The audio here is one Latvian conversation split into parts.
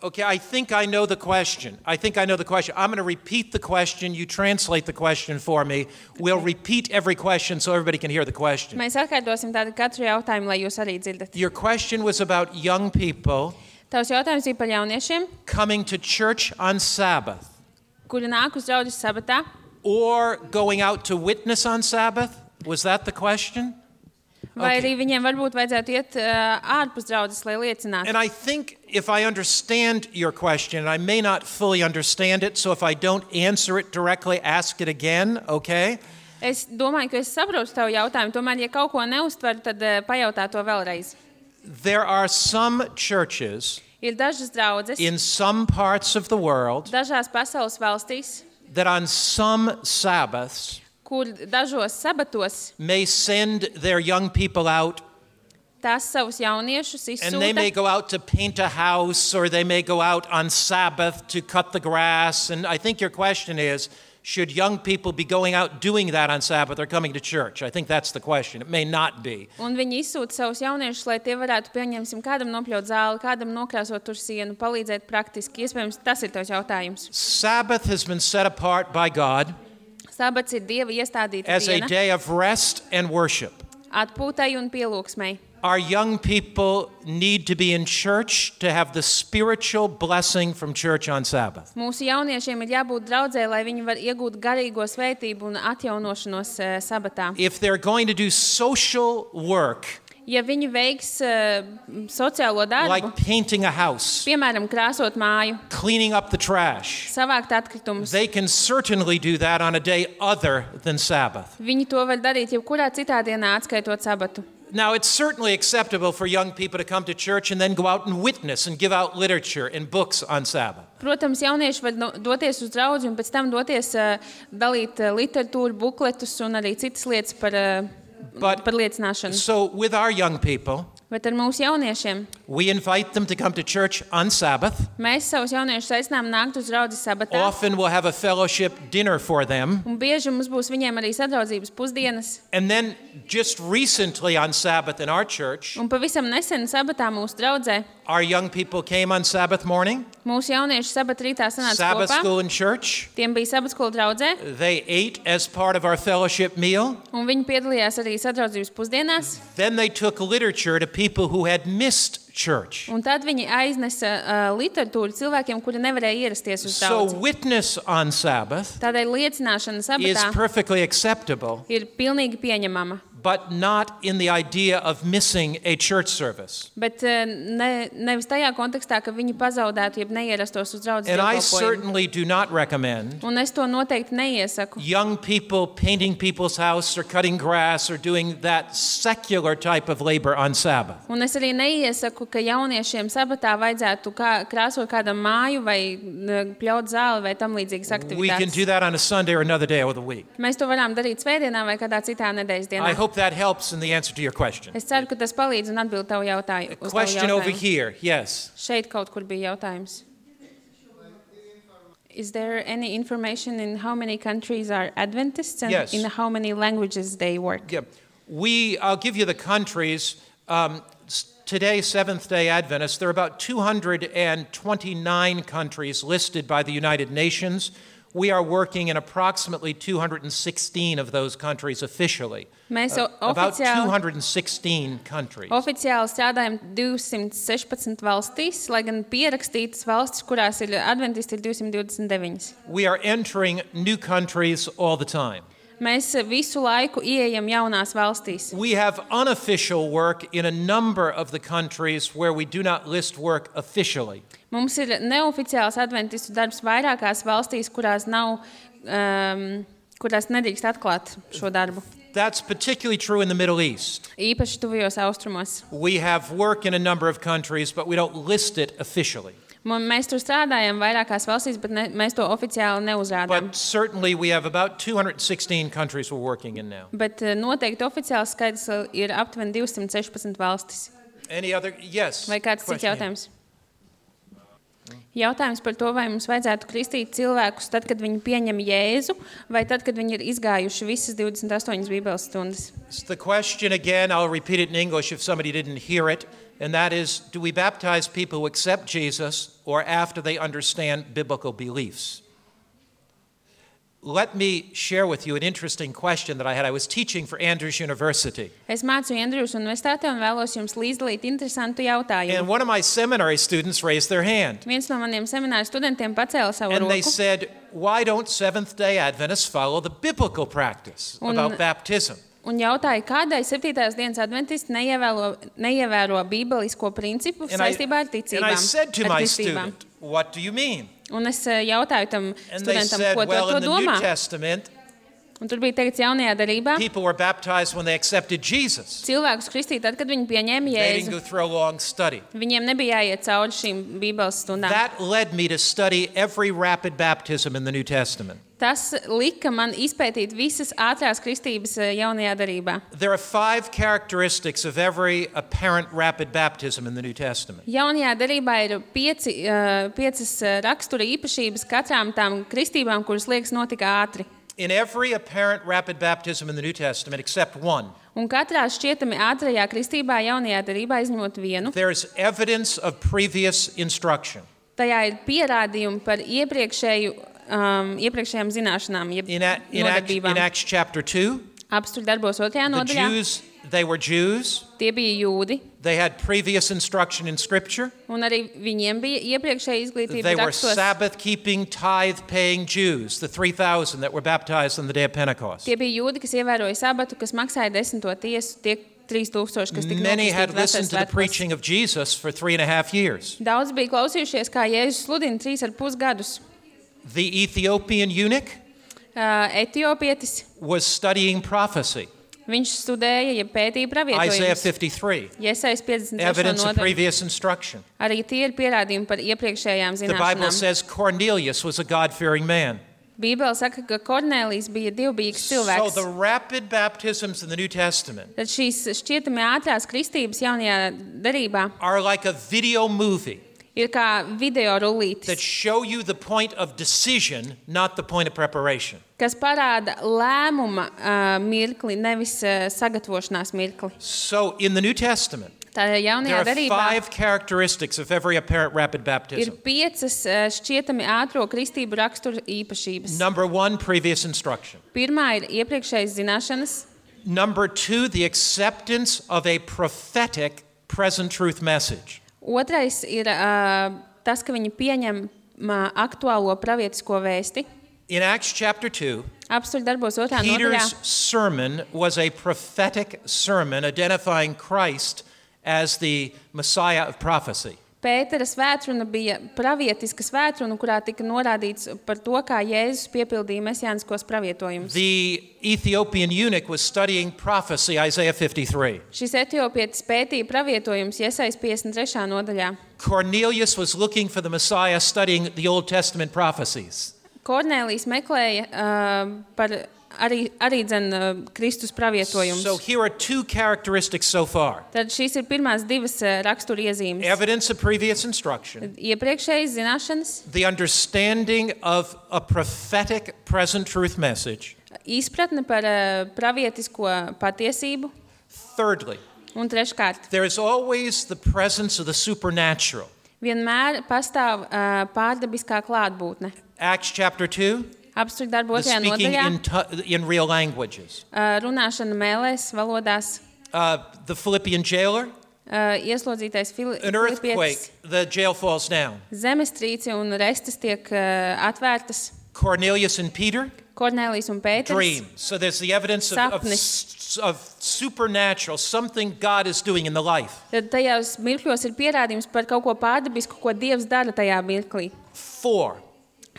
Okay, I think I know the question. I'm going to repeat the question. You translate the question for me. We'll repeat every question so everybody can hear the question. Mēs atkārtosim tādu katru jautājumu, lai jūs arī dzirdat. Your question was about young people Tavs jautājums bija par jauniešiem, coming to church on Sabbath kuri nāk uz draudzes sabatā, or going out to witness on Sabbath. Was that the question? vai arī viņiem varbūt vajadzētu iet ārpus draudzes, lai liecinātu. And I think if I understand your question, I may not fully understand it, so if I don't answer it directly, ask it again, okay? Es domāju, ka es saprotu tavu jautājumu, tomēr, ja kaut ko neuztveru, tad pajautā to vēlreiz. There are some churches Ir dažas draudzes, in some parts of the world dažās pasaules valstīs, that on some Sabbaths kur dažos sabatos may send their young people out, tās savus jauniešus and they may izsūta. go out to paint a house, or they may go out on Sabbath to cut the grass. And I think your question is, should young people be going out doing that on Sabbath or coming to church? I think that's the question. It may not be. Un viņi izsūta savus jauniešus, lai tie varētu, pieņemsim, kādam nopļaut zāli, kādam nokrāsot tur sienu, palīdzēt praktiski. Iespējams, tas ir tavs jautājums. Sabbath has been set apart by God Sabats ir Dieva iestādīta as a diena, day of rest and worship. atpūtai un pielūgsmei. Our young people need to be in church to have the spiritual blessing from church on Sabbath. Mūsu jauniešiem ir jābūt draudzē, lai viņi var iegūt garīgo svētību un atjaunošanos sabatā. If they're going to do social work, Ja viņi veiks sociālo darbu, like painting a house, piemēram, krāsot māju, cleaning up the trash, savākt atkritumus, they can certainly do that on a day other than Sabbath. viņi to var darīt jebkurā citā dienā, atskaitot sabatu. Now, it's certainly acceptable for young people to come to church and then go out and witness and give out literature and books on Sabbath. Protams, jaunieši var doties uz draudzi un pēc tam doties dalīt literatūru, bukletus un arī citas lietas par liecināšanu. So with our young people, Bet ar mūsu jauniešiem we invite them to come to church on Sabbath. mēs savus jauniešus aicinām nākt uz draudzi sabatā. Often we'll have a fellowship dinner for them. Un bieži mums būs viņiem arī sadraudzības pusdienas. And then just recently on Sabbath in our church, Un pavisam nesen sabatā mūsu draudzē our young people came on Sabbath morning, mūsu jaunieši sabat rītā sanāca Sabbath kopā. school in church. Tiem bija sabatskola draudzē, They ate as part of our fellowship meal. un viņi piedalījās arī sadraudzības pusdienās. Then they took literature to people who had missed church. Un tad viņi aiznesa literatūru cilvēkiem, kuri nevarēja ierasties uz So draudzi. witness on Sabbath Tādēļ liecināšana is sabatā perfectly acceptable, ir pilnīgi pieņemama. but not in the idea of missing a church service. Bet nevis tajā kontekstā, ka viņi pazaudētu, jeb neierastos uz draudzes And I dievkalpojumu. certainly do not recommend Un es to noteikti neiesaku. young people painting people's house or cutting grass or doing that secular type of labor on Sabbath. Un es arī neiesaku, ka jauniešiem sabatā vajadzētu krāsot kādam māju vai pļaut zāli vai tam līdzīgas We can do aktivitātes. that on a Sunday or another day of the week. Mēs to varam darīt svētdienā vai kādā citā nedēļas I dienā. hope that helps in the answer to your question. Es ceru, ka tas palīdz un atbild tavu jautājumu. Uz tavu Question over jautājumu. here, yes. Šeit kaut kur bija jautājums. Is there any information in how many countries are Adventists and Yes. in how many languages they work? Yeah. I'll give you the countries. Today, Seventh-day Adventists, there are about 229 countries listed by the United Nations. We are working in approximately 216 of those countries officially. Mēs About oficiāli 216 countries. strādājam 216 valstīs, lai gan pierakstītas valstis, kurās ir adventisti, ir 229. We are entering new countries all the time. Mēs visu laiku ieejam jaunās valstīs. We have unofficial work in a number of the countries where we do not list work officially. Mums ir neoficiāls adventistu darbs vairākās valstīs, kurās nedrīkst atklāt šo darbu. That's particularly true in the Middle East. Īpaši tuvajos austrumos. We have work in a number of countries, but we don't list it officially. Mēs tur strādājam vairākās valstīs, bet mēs to oficiāli neuzrādām. But certainly we have about 216 countries we're working in now. Bet noteikti oficiāls skaidrs ir aptuveni 216 valstis. Any other? Yes. Vai kāds cits Question. jautājums? Jautājums par to, vai mums vajadzētu kristīt cilvēkus tad, kad viņi pieņem Jēzu, vai tad, kad viņi ir izgājuši visas 28 Bībeles stundas. The question again, I'll repeat it in English if somebody didn't hear it. And that is, do we baptize people who accept Jesus or after they understand biblical beliefs? Let me share with you an interesting question that I had. I was teaching for Andrews University. Es mācu Andrews Universitātē un vēlos jums līdzdalīt interesantu jautājumu. And one of my seminary students raised their hand. Viens no maniem semināru studentiem pacēla savu roku. And they said, why don't Seventh-day Adventists follow the biblical practice about baptism? Un jautāja, kādēļ 7. dienas adventisti neievēro bībelisko principu saistībā ar ticībām. And I said to my student, what do you mean? Un es jautāju tam studentam, said, ko well, to domā. New Testament, un tur bija teikts jaunajā darībā, people were baptized when they accepted Jesus. Cilvēkus kristīja tad, kad viņi pieņēma They didn't Jēzu. go through a long study. Viņiem nebija jāiet cauri šīm bībeles stundām. That led me to study every rapid baptism in the New Testament. Tas lika man izpētīt visas ātrās kristības jaunajā darībā. There are 5 characteristics of every apparent rapid baptism in the New Testament. Jaunajā darībā ir 5 rakstura īpašības katrām tām kristībām, kuras liekas notika ātri. In every apparent rapid baptism in the New Testament, except one, Un katrā šķietami ātrajā kristībā jaunajā darībā izņemot vienu, there's evidence of previous instruction. tajā ir pierādījumi par iepriekšējām zināšanām, jeb In nodarbībām. Acts chapter 2, Apstuļu darbos 2. the nodaļā. Jews, they were Jews. Tie bija jūdi, They had previous instruction in Scripture. un arī viņiem bija iepriekšēja izglītība They were rakstos. Sabbath-keeping, tithe-paying Jews, the 3,000 that were baptized on the day of Pentecost. Tie bija jūdi, kas ievēroja sabatu, kas maksāja 10. tiesu, tie 3,000, kas tika Many had nokristīti listened to the Vecais preaching of Jesus for 3.5 years. Svētkos. Daudz bija klausījušies, kā Jēzus sludina 3,5 gadus. The Ethiopian eunuch Etiopietis, was studying prophecy. viņš studēja, ja pētīja Isaiah pravietojumus. 53, Iesaist 53. evidence of nodaļu. previous instruction. Arī tie ir pierādījumi par iepriekšējām The Bible zināšanām. says Cornelius was a God-fearing man. Bībele saka, ka Kornēlijs bija dievbijīgs So cilvēks. the rapid baptisms in the New Testament Tad šīs šķietami ātrās kristības jaunajā darībā are like a video movie ir kā video that rullītis, show you the point of decision, not the point of preparation. kas parāda lēmuma mirkli, nevis sagatavošanās mirkli. So in the New Testament, Tā there jaunajā are darībā 5 characteristics of every apparent rapid ir baptism. 5 šķietami ātro kristību raksturu īpašības. Number 1, previous instruction. Pirmā ir iepriekšējas zināšanas. Number 2, the acceptance of a prophetic present truth message. Otrais ir tas, ka viņi pieņem aktuālo pravietisko vēsti. In Acts chapter 2, Apstuļu darbos 2. nodaļā. Peter's sermon was a prophetic sermon identifying Christ as the Messiah of prophecy. Pētera svētruna bija pravietiska svētruna, kurā tika norādīts par to, kā Jēzus piepildīja mesiāniskos pravietojumus. The Ethiopian eunuch was studying prophecy, Isaiah 53. Šis etiopietis pētīja pravietojumus Iesajas 53. nodaļā. Cornelius was looking for the Messiah, studying the Old Testament prophecies. Kornēlijs meklēja par arī Kristus pravietojumus. So here are 2 characteristics so far. Tad šīs ir pirmās 2 rakstura iezīmes. Evidence of previous instruction, Iepriekšējas zināšanas, the understanding of a prophetic present truth message. izpratne par pravietisko patiesību, Thirdly, un treškārt, there is always the presence of the supernatural. vienmēr pastāv pārdabiskā klātbūtne. Acts chapter 2, Apstuļu darbu the 2. speaking nodaļā, in real languages. runāšana mēlēs, valodās, The Philippian jailer, ieslodzītais an earthquake, Filipietis, the jail falls down. zemestrīce un restas tiek atvērtas. Cornelius and Peter, Kornēlijs un Pēters, dream. So there's the evidence of supernatural, something God is doing in the life. Tad tajās mirkļos ir pierādījums par kaut ko pārdabisku, ko Dievs dara tajā mirklī. 4,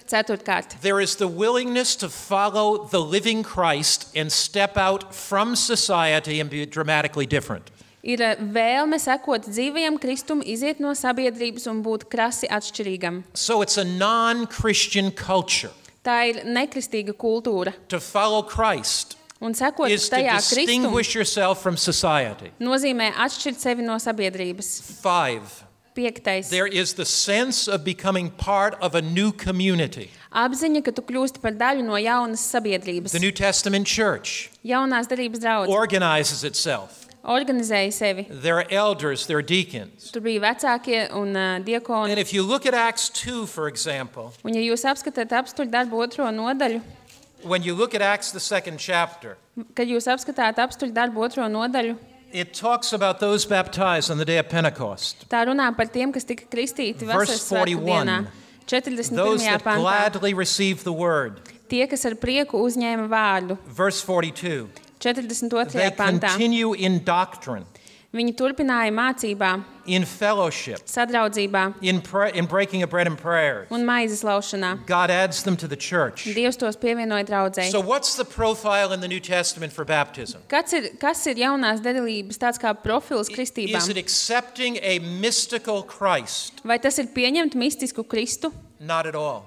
Ceturtkārt, there is the willingness to follow the living Christ and step out from society and be dramatically different. ir vēlme sekot dzīvajam Kristum, iziet no sabiedrības un būt krasi atšķirīgam. So it's a non-Christian culture. Tā ir nekristīga kultūra. To follow Christ Un sekot is to tajā Kristum distinguish yourself from society. nozīmē atšķirt sevi no sabiedrības. 5, 5. there is the sense of becoming part of a new community. Apziņa, ka tu kļūsti par daļu no jaunas sabiedrības. The New Testament church Jaunās darības draudz organizes itself organizēja sevi. There are elders, there are deacons. Tur bija vecākie un diakoni. And if you look at Acts 2, for example, Un ja jūs apskatāt apstuļu darbu 2. nodaļu, when you look at Acts, the 2nd chapter, kad jūs apskatāt apstuļu darbu 2. nodaļu, it talks about those baptized on the day of Pentecost. tā runā par tiem, kas tika kristīti Verse vasaras svētku 41. dienā. 41. Those that pantā. gladly receive the word. Tie, kas ar prieku uzņēma vārdu. Verse 42. 42. They pantā. continue in doctrine, Viņi turpināja mācībā, in fellowship, sadraudzībā in breaking of bread and prayers. un maizes laušanā. God adds them to the church. Dievs tos pievienoja draudzei. So what's the profile in the New Testament for baptism? Kas ir jaunās derības tāds kā profils Is kristībām? it accepting a mystical Christ? Vai tas ir pieņemt mistisku Kristu? Not at all.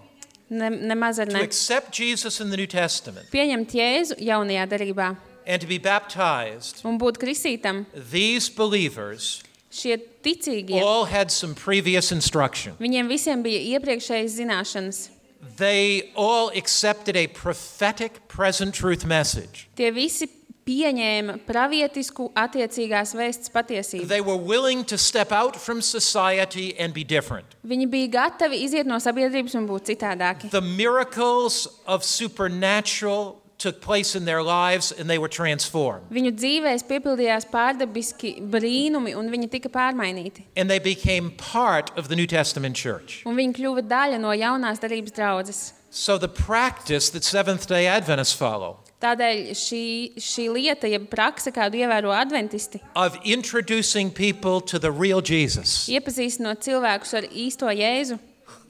Nemaz ar To ne. accept Jesus in the New Testament Pieņemt Jēzu jaunajā derībā and to be baptized, un būt kristītam. these believers Šie ticīgie, all had some previous instruction. viņiem visiem bija iepriekšējas zināšanas. They all accepted a prophetic present truth message. Tie visi pieņēma pravietisku attiecīgās vēsts patiesību. They were willing to step out from society and be different. Viņi bija gatavi iziet no sabiedrības un būt citādāki. The miracles of supernatural took place in their lives and they were transformed. Viņu dzīvēs piepildījās pārdabiski brīnumi un viņi tika pārmainīti. And they became part of the New Testament church. Un viņi kļuva daļa no jaunās derības draudzes. So the practice that Seventh-day Adventists follow Tādēļ šī lieta, ja prakse, kādu ievēro adventisti, of introducing people to the real Jesus, iepazīstinot cilvēkus ar īsto Jēzu,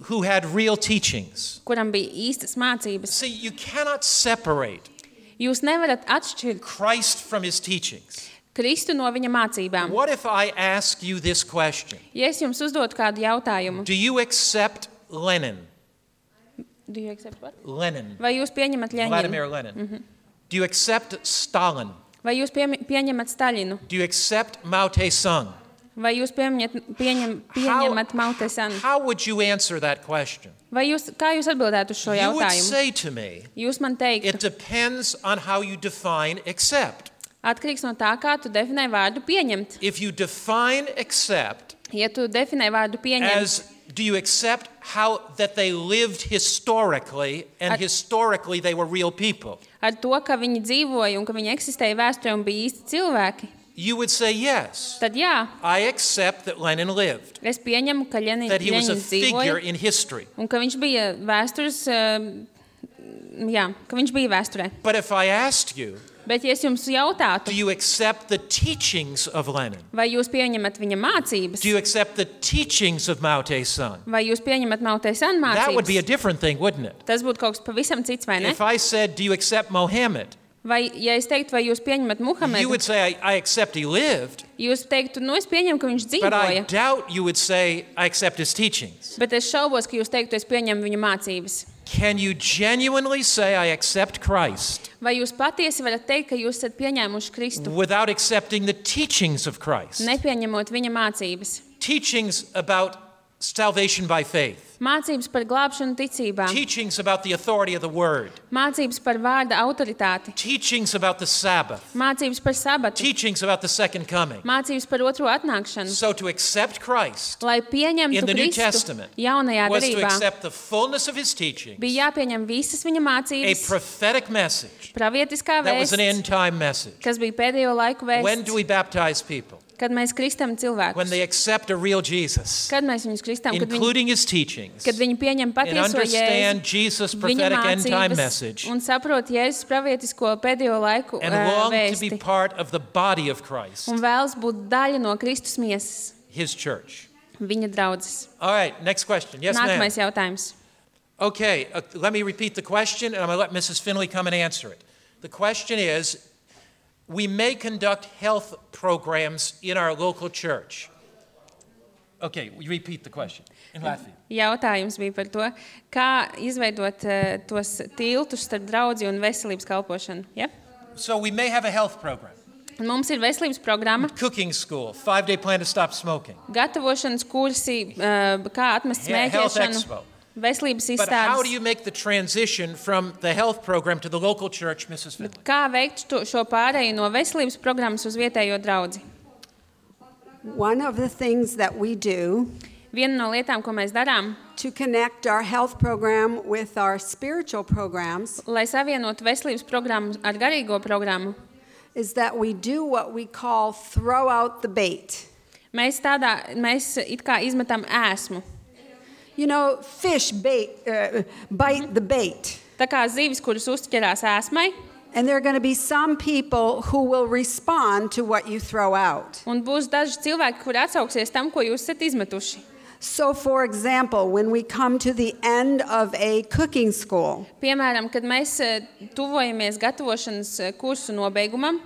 who had real teachings. kuram bija īstas mācības. See, you cannot separate Jūs nevarat atšķirt Christ from his teachings. Kristu no viņa mācībām. What if I ask you this question? Ja es jums uzdotu kādu jautājumu, Do you accept Lenin? do you accept what? Lenin. Vai jūs pieņemat Vladimir Ļeņinu? Lenin. Do you accept Stalin? Vai jūs pieņemat Staļinu? Do you accept Mao Tse-tung? Vai jūs pieņemat Mao Tse-tung? How would you answer that question? Kā jūs atbildētu uz šo You would jautājumu? say to me, Jūs man teiktu, it depends on how you define accept. atkarīgs no tā, kā tu definē vārdu pieņemt. If you define accept Ja tu definē vārdu pieņemt, as do you accept how that they lived historically and historically they were real people? ar to, ka viņi dzīvoja un ka viņi eksistēja vēsturē un bija īsti cilvēki, You would say yes. tad jā, I accept that Lenin lived, es pieņemu, ka that he was a Ļeņins figure dzīvoja in history. un ka viņš bija vēstures, ka viņš bija vēsturē. But if I asked you, Bet ja es jums do jautātu, you accept the teachings of Lenin? vai jūs pieņemat viņa mācības, Do you accept the teachings of Mao Tse-tung? vai jūs pieņemat Mao Tse-tung That would be a mācības, different thing, wouldn't it? tas būtu kaut kas pavisam cits, vai ne? If I said, do you accept Mohammed? Vai, ja es teiktu, vai jūs pieņemat You Muhamedu, would say, I accept he lived, jūs teiktu, nu es pieņemu, ka viņš but I dzīvoja, doubt you would say, I accept his teachings. bet es šaubos, ka jūs teiktu, es pieņemu viņa mācības. Can you genuinely say, I accept Christ, Vai jūs patiesi varat teikt, ka jūs esat pieņēmuši Kristu, without accepting the teachings of Christ? nepieņemot viņa mācības? Teachings about salvation by faith. Mācības par glābšanu ticībā, Teachings about the authority of the word. mācības par vārda autoritāti, Teachings about the Sabbath. mācības par sabatu, Teachings about the second coming. mācības par otro atnākšanu. So to accept Christ Lai in pieņemtu the New Kristu Testament jaunajā was to derībā, accept the fullness of his teachings, bija jāpieņem visas viņa a mācības, prophetic message pravietiskā that was an vēsts, end time message. kas bija pēdējo laiku When do vēsts, we baptize people? kad mēs kristam When cilvēkus. they accept a real Jesus, Kad mēs viņus kristam, including his teachings, kad viņi pieņem and patieso understand Jēzu, Jesus' viņa prophetic end time mācības message, un saprot Jēzus pravietisko pēdējo laiku and long to vēsti be part of the body of Christ, un vēlas būt daļa no Kristus miesas, his church. viņa draudzes. All right, next question. Yes, ma'am. Nākamais jautājums. Okay, let me repeat the question, and I'm going to let Mrs. Finley come and answer it. The question is, we may conduct health programs in our local church. Okay, we repeat the question in Latvia. Jautājums bija par to, kā izveidot tos tiltus starp draudzi un veselības kalpošanu. Ja? So we may have a health program, Un mums ir veselības programma, cooking school, 5-day plan to stop smoking, gatavošanas kursi, kā atmest health smēķēšanu, expo. veselības But how do izstādes. you make the transition from the health program to the local church, Mrs. Finley? Kā veikt šo pārēju no veselības programmas uz vietējo draudzi? One of the things that we do Viena no lietām, ko mēs darām, to connect our health program with our spiritual programs lai savienotu veselības programmu ar garīgo programmu, is that we do what we call throw out the bait. mēs it kā izmetam ēsmu. You know, fish bite the bait. Tā kā zivis, kuras uzķerās ēsmai, And there are going to be some people who will respond to what you throw out. un būs daži cilvēki, kuri atsauksies tam, ko jūs esat izmetuši. So, for example, when we come to the end of a cooking school, Piemēram, kad mēs tuvojamies gatavošanas kursu nobeigumam,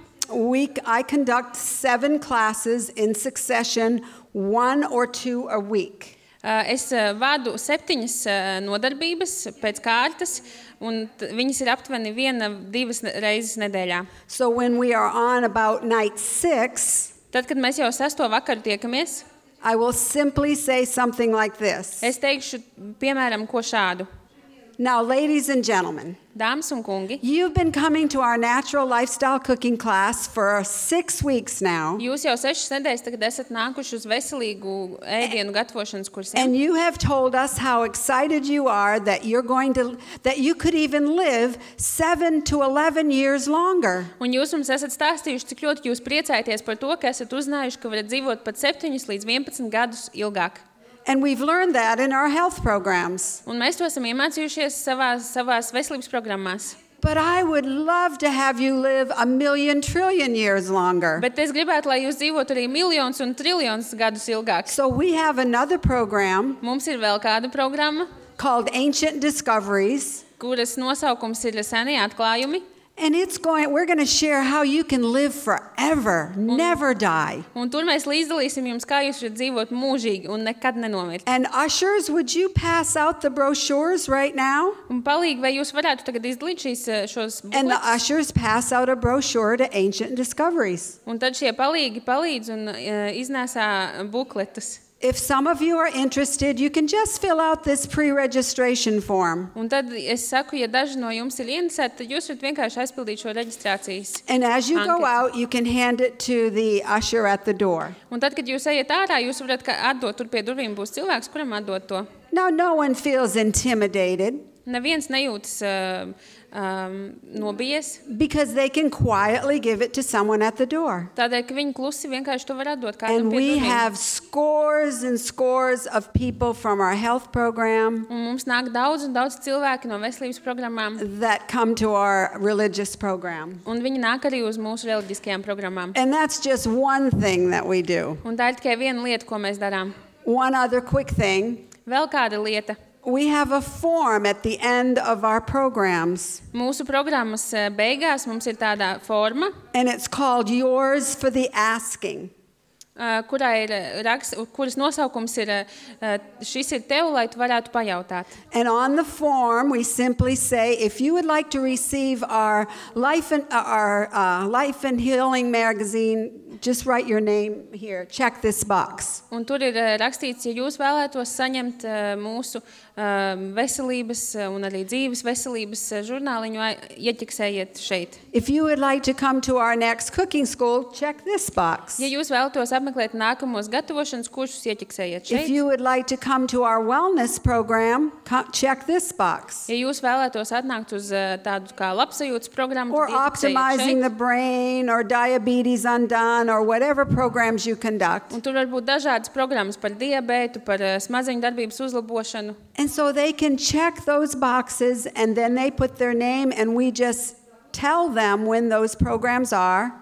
I conduct 7 classes in succession, 1 or 2 a week. es vadu 7 nodarbības pēc kārtas, un viņas ir aptuveni 1-2 reizes nedēļā. So when we are on about night 6, Tad, kad mēs jau 6. vakaru tiekamies, I will simply say something like this. es teikšu, piemēram, ko šādu. Now, ladies and gentlemen, Dāmas un kungi, you've been coming to our natural lifestyle cooking class for 6 weeks now, jūs jau 6 nedēļas tagad esat nākuši uz veselīgu ēdienu gatavošanas kursiem. and you have told us how excited you are that that you could even live 7 to 11 years longer. Un jūs mums esat stāstījuši, cik ļoti jūs priecājaties par to, ka esat uzzinājuši, ka varat dzīvot pat 7 līdz 11 gadus ilgāk. And we've learned that in our health programs. Un mēs to esam iemācījušies savās veselības programmās. But I would love to have you live 1,000,000 trillion years longer. Bet es gribētu, lai jūs dzīvotu arī miljonus un triljonus gadus ilgāk. So we have another program Mums ir vēl kāda programma, called Ancient Discoveries. kuras nosaukums ir Senie atklājumi. And we're going to share how you can live forever, never die. Un tur mēs līdzdalīsim jums, kā jūs varat dzīvot mūžīgi un nekad nenomirt. And ushers, would you pass out the brochures right now? Un palīgi, vai jūs varētu tagad izdalīt šos And the bukletus? ushers pass out a brochure to Ancient Discoveries. Un tad šie palīgi palīdz un iznēsā bukletus. If some of you are interested, you can just fill out this pre-registration form. Un tad es saku, ja daži no jums ir interesēti, tad jūs varat vienkārši aizpildīt šo reģistrācijas. And as you go Anketu. out, you can hand it to the usher at the door. Un tad, kad jūs ejat ārā, jūs varat atdot, tur pie durvīm būs cilvēks, kuram atdot to. Now, no one feels intimidated Neviens nejūtas nobijies, because they can quietly give it to someone at the door. tādēļ, ka viņi klusi vienkārši to var atdot kādam And pie we durvīm. have scores and scores of people from our health program Un mums nāk daudz un daudz cilvēki no veselības programmām, that come to our religious program. un viņi nāk arī uz mūsu reliģiskajām programmām. And that's just one thing that we do. Un tā ir tikai viena lieta, ko mēs darām. One other quick thing. Vēl kāda lieta. We have a form at the end of our programs, Mūsu programmas beigās mums ir tāda forma, and it's called Yours for the Asking. kuras nosaukums ir šis ir tev, lai tu varētu pajautāt. And on the form, we simply say, if you would like to receive our Life and Healing magazine, just write your name here. Check this box. Un tur ir rakstīts, ja jūs vēlētos saņemt mūsu veselības un arī dzīves veselības žurnāliņu, ieķeksējiet šeit. If you would like to come to our next cooking school, check this box. Ja jūs vēlatos apmeklēt nākamos gatavošanas kursus, ieķeksējiet If šeit. you would like to come to our wellness program, check this box. Ja jūs vēlētos atnākt uz tādu kā labsajūtas programmu, Or tad ieķeksējiet optimizing šeit. the brain, or diabetes undone, or whatever programs you conduct. Un tur var būt dažādas programmas par diabētu, par smadzeņu darbības uzlabošanu. And so they can check those boxes, and then they put their name, and we just tell them when those programs are.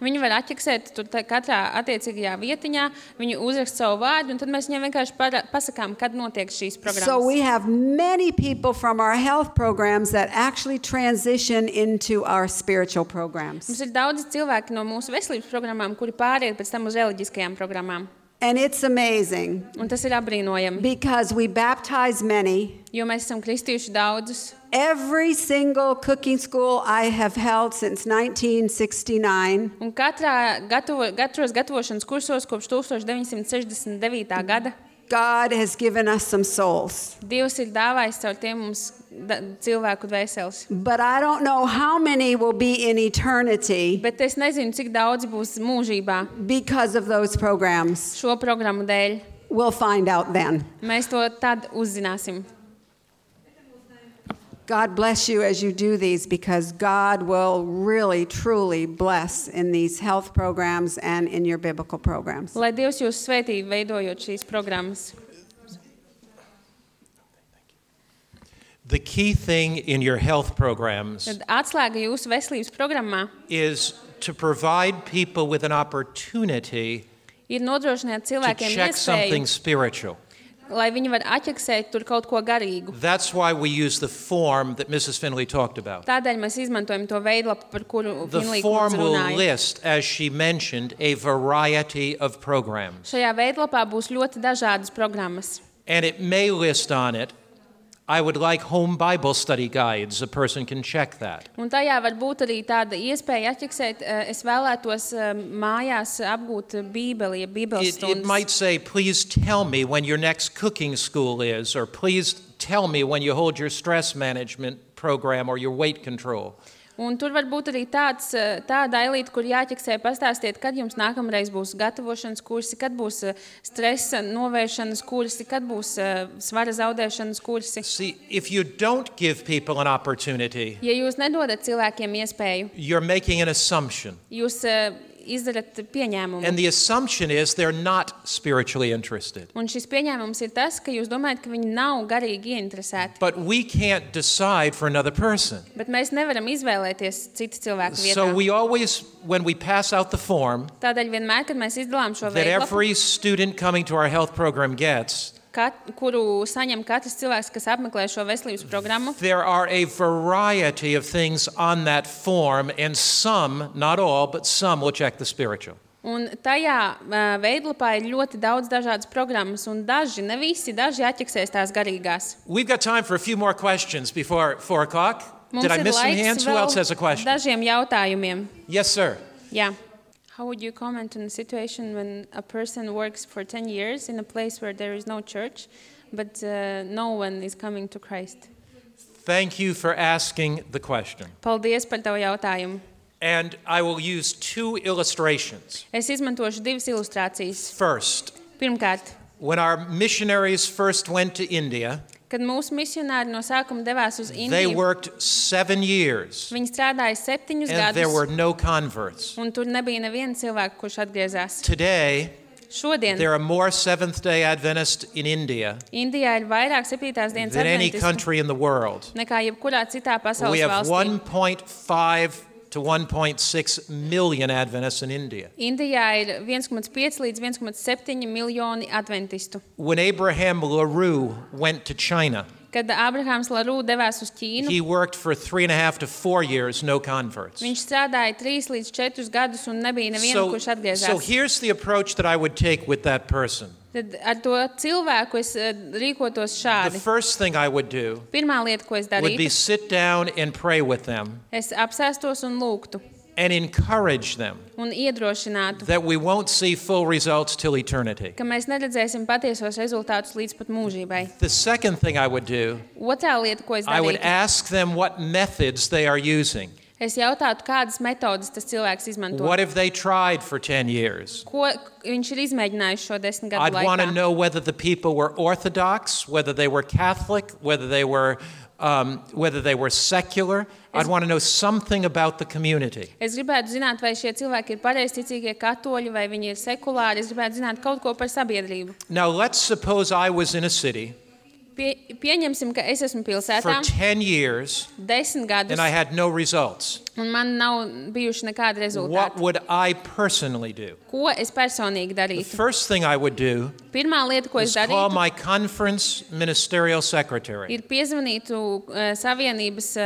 Viņi var atķeksēt tur katrā attiecīgajā vietiņā, viņi uzrakst savu vārdu, un tad mēs viņiem vienkārši pasakām, kad notiek šīs programmas. So we have many people from our health programs that actually transition into our spiritual programs. Mums ir daudz cilvēki no mūsu veselības programmām, kuri pāriet pēc tam uz reliģiskajām programmām. And it's amazing Un tas ir apbrīnojami, because we baptize many. jo mēs esam kristījuši daudzus. Every single cooking school I have held since 1969, Un katros gatavošanas kursos kopš 1969. gada God has given us some souls. Dievs ir dāvājis caur tiem mums cilvēku dvēseles. But I don't know how many will be in eternity Bet es nezinu, cik daudz būs mūžībā because of those programs. šo programmu dēļ. We'll find out then. Mēs to tad uzzināsim. God bless you as you do these, because God will really, truly bless in these health programs and in your biblical programs. Lai Dievs jūs svētī, veidojot šīs programmas. The key thing in your health programs Tad atslēga jūsu veselības programmā is to provide people with an opportunity ir nodrošināt to cilvēkiem check something iespēju, spiritual. lai viņi var atķeksēt tur kaut ko garīgu. That's why we use the form that Mrs. Finley talked about. Tādēļ mēs izmantojam to veidlapu, par kuru The Finlī form kundze will runāja. list, as she mentioned, a variety of programs. Šajā veidlapā būs ļoti dažādas programmas. And it may list on it, I would like home Bible study guides. A person can check that. Un tajā var būt arī tāda iespēja atķeksēt, es vēlētos mājās apgūt Bībeli, Bībeles It stundas. might say, please tell me when your next cooking school is, or please tell me when you hold your stress management program or your weight control. Un tur var būt arī tāda ailīte, kur jāķeksē pastāstiet, kad jums nākamreiz būs gatavošanas kursi, kad būs stresa novēršanas kursi, kad būs svara zaudēšanas kursi. See, if you don't give people an opportunity, Ja jūs nedodat cilvēkiem iespēju, you're making an assumption. jūs izdarat pieņēmumu. And the assumption is they're not spiritually interested. Un šis pieņēmums ir tas, ka jūs domājat, ka viņi nav garīgi ieinteresēti. But we can't decide for another person. Bet mēs nevaram izvēlēties citu cilvēku vietā. So we always, when we pass out the form Tādēļ vienmēr, kad mēs izdalām šo that veidlapu, every student coming to our health program gets, kuru saņem katrs cilvēks, kas apmeklē šo veselības programmu, there are a variety of things on that form, and some, not all, but some will check the spiritual. un tajā veidlapā ir ļoti daudz dažādas programmas, un daži, ne visi, daži atķeksēs tās garīgās. We've got time for a few more questions before 4 o'clock. Mums Did I ir miss some laiks hands? Who vēl else has a question? dažiem jautājumiem. Yes, sir. Jā. How would you comment on a situation when a person works for 10 years in a place where there is no church, but no one is coming to Christ? Thank you for asking the question. Paldies par tavu jautājumu. And I will use 2 illustrations. Es izmantošu divas ilustrācijas. First, Pirmkārt, when our missionaries first went to India, kad mūsu misionāri no sākuma devās uz they Indiju, worked 7 years, viņi strādāja 7 and there were gadus, no converts. un tur nebija neviena cilvēka, kurš atgriezās. Today, Šodien there are more Seventh-day Adventists in India Indijā ir vairāk 7. dienas than any adventistu country in the world. nekā jebkurā citā We pasaules have valstī. 1.5 to 1.6 million Adventists in India. Indijā ir 1,5 līdz 1,7 miljoni adventistu. When Abraham LaRue went to China, Kad Ābrahāms Larū devās uz Ķīnu, he worked for 3.5 to 4 years, no converts. viņš strādāja 3 līdz 4 gadus un nebija neviena, kurš So atgriezās. here's the approach that I would take with that person. Tad ar to cilvēku es rīkotos The šādi. first thing I would do Pirmā lieta, ko es would be darītu, sit down and pray with them es apsēstos un lūgtu and encourage them un iedrošinātu, that we won't see full results till eternity. ka mēs neredzēsim patiesos rezultātus līdz pat mūžībai. The second thing I would do, Otrā lieta, ko es I would darītu, ask them what methods they are using. es jautātu, kādas metodas tas cilvēks izmanto. What have they tried for 10 years? Ko viņš ir izmēģinājis šo 10 gadu I'd want to laikā. know whether the people were Orthodox, whether they were Catholic, whether they were secular. I'd want to know something about the community. Es gribētu zināt, vai šie cilvēki ir pareizticīgie katoļi, vai viņi ir sekulāri. Es gribētu zināt kaut ko par sabiedrību. Now, let's suppose I was in a city Pieņemsim, ka es esmu for pilsētā 10 years 10 gadus, and I had no results. un man nav bijuši nekādi What rezultāti. would I personally do? Ko es personīgi The darītu? first thing I would do Pirmā lieta, ko es is call darītu, my conference ministerial secretary. ir piezvanītu Savienības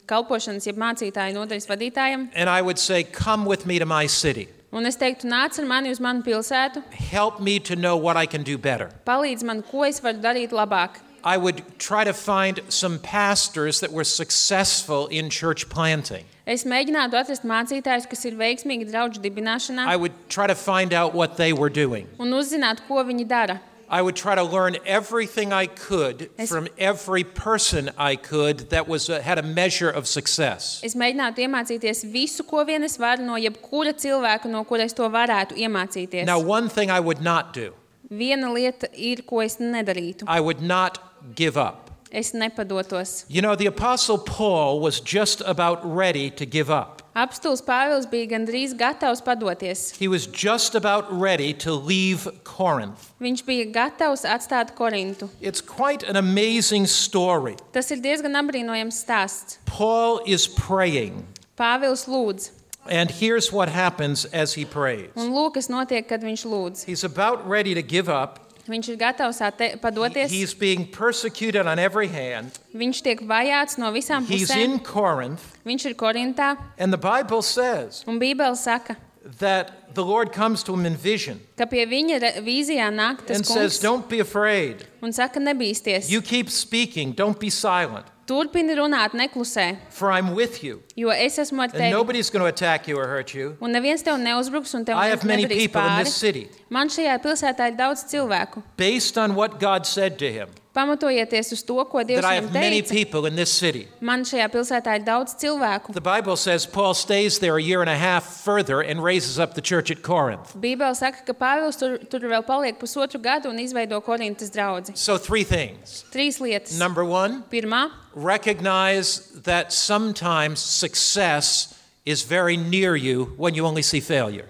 kalpošanas, jeb mācītāju nodaļas vadītājam, And I would say, come with me to my city. un es teiktu, nāc ar mani uz manu pilsētu, Help me to know what I can do better. palīdz man, ko es varu darīt labāk. I would try to find some pastors that were successful in church planting. Es mēģinātu atrast mācītājus, kas ir veiksmīgi draugu dibināšanā, I would try to find out what they were doing. un uzzināt, ko viņi dara. I would try to learn everything I could from every person I could that had a measure of success. Es mēģinātu iemācīties visu, ko vien es varu no jebkura cilvēka, no kura es to varētu iemācīties. Now, one thing I would not do. Viena lieta ir, ko es nedarītu. I would not give up. Es nepadotos. You know, the Apostle Paul was just about ready to give up. Apstulis Pāvils bija gandrīz gatavs padoties. He was just about ready to leave Corinth. Viņš bija gatavs atstāt Korintu. It's quite an amazing story. Tas ir diezgan apbrīnojams stāsts. Paul is praying. Pāvils lūdz. And here's what happens as he prays. Un lūk, kas notiek, kad viņš lūdz. He's about ready to give up. Viņš ir gatavs padoties. He's being persecuted on every hand. Viņš tiek vajāts no visām He's pusēm. in Corinth. Viņš ir Korintā. And the Bible says Un Bībele saka, that the Lord comes to him in vision ka pie viņa vīzijā nāk tas and says, kungs don't be afraid. un saka, nebīsties. You keep speaking. Don't be silent. Turpini runāt, neklusē, For I'm with you. jo es esmu ar And tevi. nobody's going to attack you or hurt you. Un neviens tev neuzbruks un tev I have many nedarīs people in this pāri. city. Man šajā pilsētā ir daudz cilvēku. Based on what God said to him, Pamatojieties uz to, ko Dievs that I viņam have many teica. people in this city. Man šajā pilsētā ir daudz cilvēku. The Bible says Paul stays there a year and a half further and raises up the church at Corinth. Bībele saka, ka Pāvils tur vēl paliek pusotru gadu un izveido Korintas draudzi. So 3 things. 3 lietas. Number 1, Pirmā, recognize that sometimes success is very near you when you only see failure.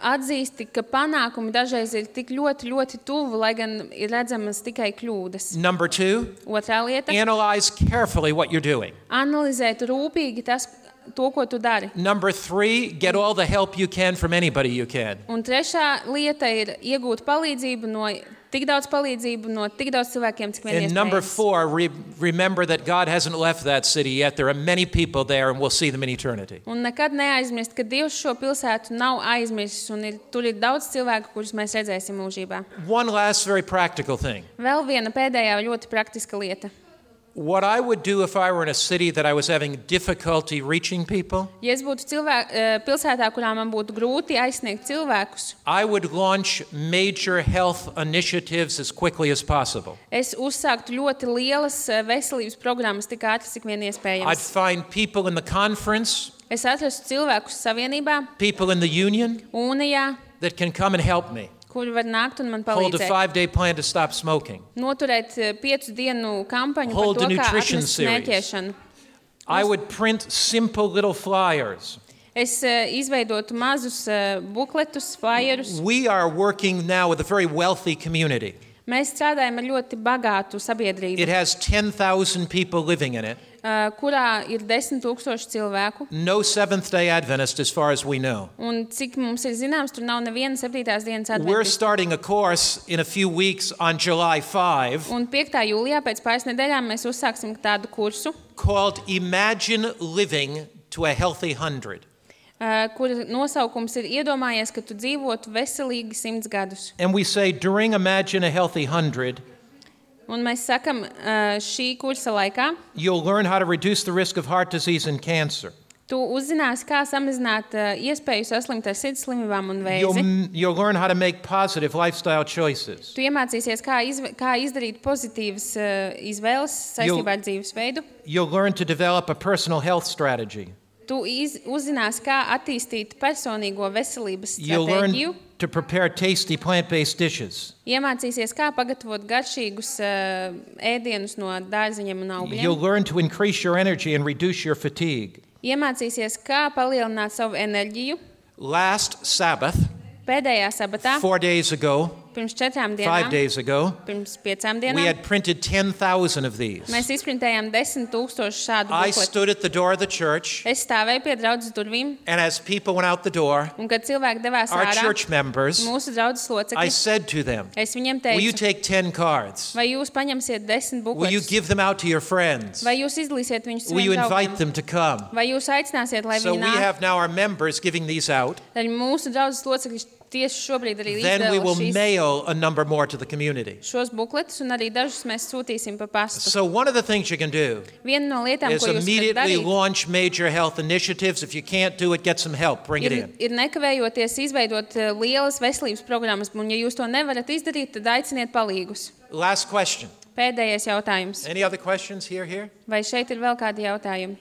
atzīsti, ka panākumi dažreiz ir tik ļoti, ļoti tuvu, lai gan ir redzamas tikai kļūdas. Number 2, Otrā lieta analyze carefully what you're doing. - analizēt rūpīgi to, ko tu dari. Number 3, get all the help you can from anybody you can. Un trešā lieta ir iegūt palīdzību tik daudz cilvēkiem, cik vien And number iespējams. 4, remember that God hasn't left that city yet. There are many people there, and we'll see them in eternity. Un nekad neaizmirst, ka Dievs šo pilsētu nav aizmirsis, un tur ir daudz cilvēku, kurus mēs redzēsim mūžībā. One last very practical thing. Vēl viena pēdējā ļoti praktiska lieta. What I would do if I were in a city that I was having difficulty reaching people, Ja es būtu pilsētā, kurā man būtu grūti aizsniegt cilvēkus, I would launch major health initiatives as quickly as possible. es uzsāktu ļoti lielas veselības programmas tik ātri, cik vien I'd iespējams. find people in the conference, Es atrastu cilvēkus savienībā, people in the union unijā, that can come and help me. kuri var nākt un man Hold a palīdzēt. 5-day plan to stop smoking. Noturēt 5 dienu kampaņu Hold par a to, kā nutrition atmest series. smēķēšanu. I would print simple little flyers. Es izveidotu mazus bukletus, flyerus. We are working now with a very wealthy community. Mēs strādājam ar ļoti bagātu sabiedrību, It has 10,000 people living in it. Kurā ir 10,000 cilvēku. No Seventh-day Adventist as far as we know. Un cik mums ir zināms, tur nav neviena 7. dienas We're adventistu. starting a course in a few weeks on July 5 Un 5. jūlijā pēc pāris nedēļām mēs uzsāksim tādu kursu, called Imagine Living to a Healthy 100. kura nosaukums ir iedomājies, ka tu dzīvotu veselīgi 100 gadus. And we say during Imagine a Healthy 100, Un mēs sakam, šī kursa laikā you'll learn how to reduce the risk of heart disease and cancer. tu uzzināsi, kā samazināt iespēju saslimt ar sirds slimībām un vēzi. You'll learn how to make positive lifestyle choices. Tu iemācīsies, kā izdarīt pozitīvas izvēles saistībā ar dzīvesveidu. You'll learn to develop a personal health strategy. Tu uzzināsi, kā attīstīt personīgo veselības You'll learn stratēģiju. to prepare tasty plant-based dishes. Iemācīsies, kā pagatavot garšīgus ēdienus no dārziņiem un You'll augļiem. learn to increase your energy and reduce your fatigue. Iemācīsies, kā palielināt savu enerģiju. Last Sabbath, Pēdējā sabatā, 4 days ago, pirms 4 5 dienām, days ago, pirms 5 we dienām, had printed 10,000 of these. mēs izprintējām 10,000 šādu I bukletu. stood at the door of the church, Es stāvēju pie draudzes durvīm, and as people went out the door, un kad cilvēki devās our ārā, church members, mūsu draudzes I locekļi, said to them, es viņiem will you teicu, take 10 cards? vai jūs paņemsiet 10 Will you bukletus, give them out to your friends? vai jūs izdalīsiet viņus Will you saviem invite draugiem, them to come? vai jūs aicināsiet, lai So viņi we nāk. have now our members giving these out. Tad mūsu draudzes locekļi tieši šobrīd arī then we will izdala mail a number more to the community. šos bukletus, un arī dažus mēs sūtīsim pa pastu. So one of the things you can do Viena no lietām, is ko jūs varat immediately darīt, launch major health initiatives. If you can't do it, get some help. Bring it in. ir nekavējoties izveidot lielas veselības programmas, un ja jūs to nevarat izdarīt, tad aiciniet palīgus. Last question. Pēdējais jautājums. Any other questions here? Vai šeit ir vēl kādi jautājumi?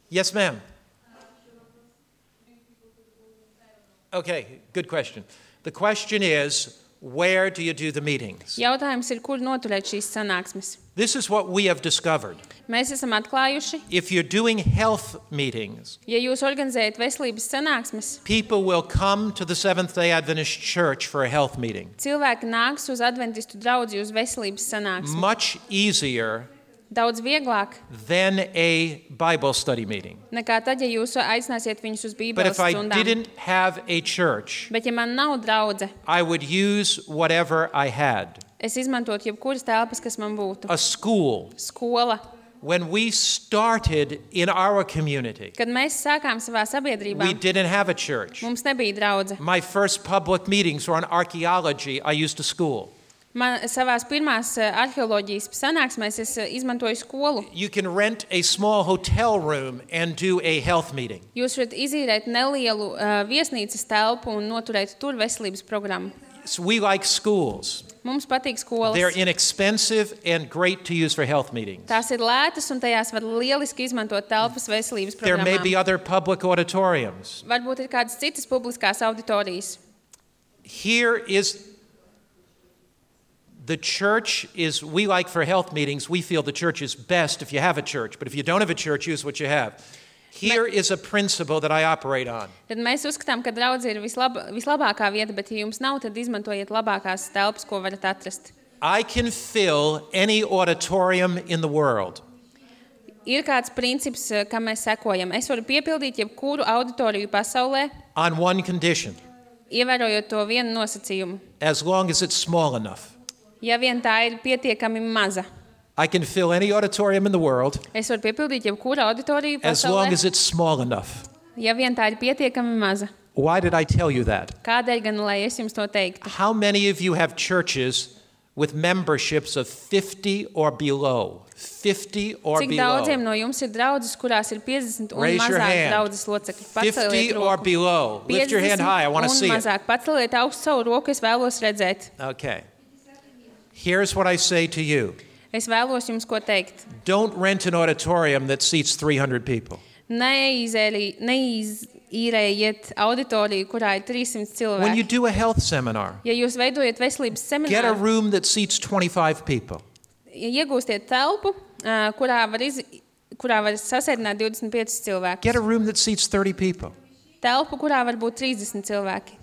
Yes, ma'am. Okay, good question. The question is, where do you do the meetings? Jautājums ir, kur noturēt šīs sanāksmes. This is what we have discovered. Mēs esam atklājuši, If you're doing health meetings, ja jūs organizējat veselības sanāksmes, people will come to the Seventh-day Adventist Church for a health meeting. cilvēki nāks uz adventistu draudzi uz veselības sanāksmi. Much easier Daudz vieglāk than a Bible study meeting. nekā tad, ja jūs aicināsiet viņus uz But Bībeles if I stundām. didn't have a church, Bet ja man nav draudze, I would use whatever I had. es izmantotu jebkuras telpas, kas man būtu. A school. Skola. When we started in our community, Kad mēs sākām savā sabiedrībā, we didn't have a church. mums nebija draudze. My first public meetings were on archaeology. I used a school. Man savās pirmās arheoloģijas sanāksmēs es izmantoju skolu. You can rent a small hotel room and do a health meeting. Jūs varat izīrēt nelielu viesnīcas telpu un noturēt tur veselības programmu. So we like schools. Mums patīk skolas. They're inexpensive and great to use for health meetings. Tās ir lētas un tajās var lieliski izmantot telpas veselības There may be programmām. other public auditoriums. Varbūt ir kādas citas publiskās auditorijas. Here is the church is, we like for health meetings, we feel the church is best if you have a church. But if you don't have a church, use what you have. Here is a principle that I operate on. Tad mēs uzskatām, ka draudze ir vislabākā vieta, bet ja jums nav, tad izmantojiet labākās telpas, ko varat atrast. I can fill any auditorium in the world. Ir kāds princips, kam mēs sekojam. Es varu piepildīt jebkuru auditoriju pasaulē, On one condition, ievērojot to vienu nosacījumu. as long as it's small enough. Ja vien tā ir pietiekami maza. I can fill any auditorium in the world Es varu piepildīt jebkuru auditoriju as long pasaulē, as it's small enough. ja vien tā ir pietiekami maza. Why did I tell you that? Kādēļ gan, lai es jums to teiktu? How many of you have churches with memberships of 50 or below? 50 or Cik daudziem below? no jums ir draudzes, kurās ir 50 un Raise your mazāk hand. draudzes locekļi? 50 Paceliet or roku. below. Lift your hand high. I want to 50 see un it. mazāk. Paceliet augstu savu roku, es vēlos redzēt. Okay. Here's what I say to you. Es vēlos jums ko teikt. Don't rent an auditorium that seats 300 people. Neīrējiet auditoriju, kurā ir 300 When you cilvēki. do a health seminar, Ja jūs veidojat veselības get a semināru, room that seats 25 people. iegūstiet telpu, kurā var sasēdināt 25 cilvēkus. Get a room that seats 30 people. Telpu, kurā var būt 30 cilvēki.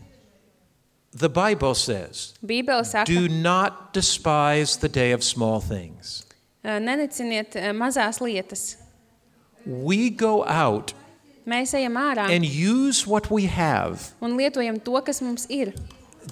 The Bible says, Bībele saka, do not despise the day of small things. neneciniet mazās lietas. We go out Mēs ejam ārā and use what we have. un lietojam to, kas mums ir.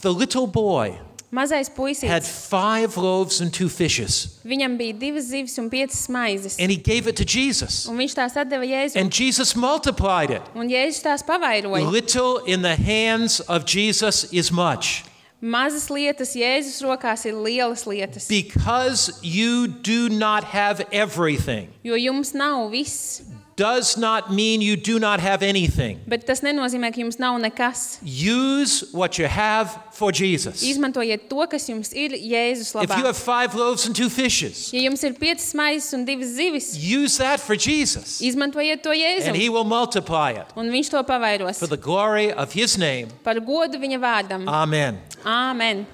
The little boy Mazais had puisītis, 5 loaves and 2 fishes, viņam bija 2 zivis un 5 maizes. and he gave it to Jesus. Un viņš tās atdeva Jēzum. And Jesus multiplied it. Un Jēzus tās pavairoja. Little in the hands of Jesus is much. Mazas lietas Jēzus rokās ir lielas lietas. Because you do not have everything Jo jums nav viss. does not mean you do not have anything. Bet tas nenozīmē, ka jums nav nekas. Use what you have for Jesus. Izmantojiet to, kas jums ir Jēzus If you labā. have 5 loaves and 2 fishes, Ja jums ir 5 maizes un 2 zivis, use that for Jesus. izmantojiet to And Jēzum. he will multiply it Un viņš to pavairos. for the glory of his name. Par godu viņa vārdam. Amen. Āmen.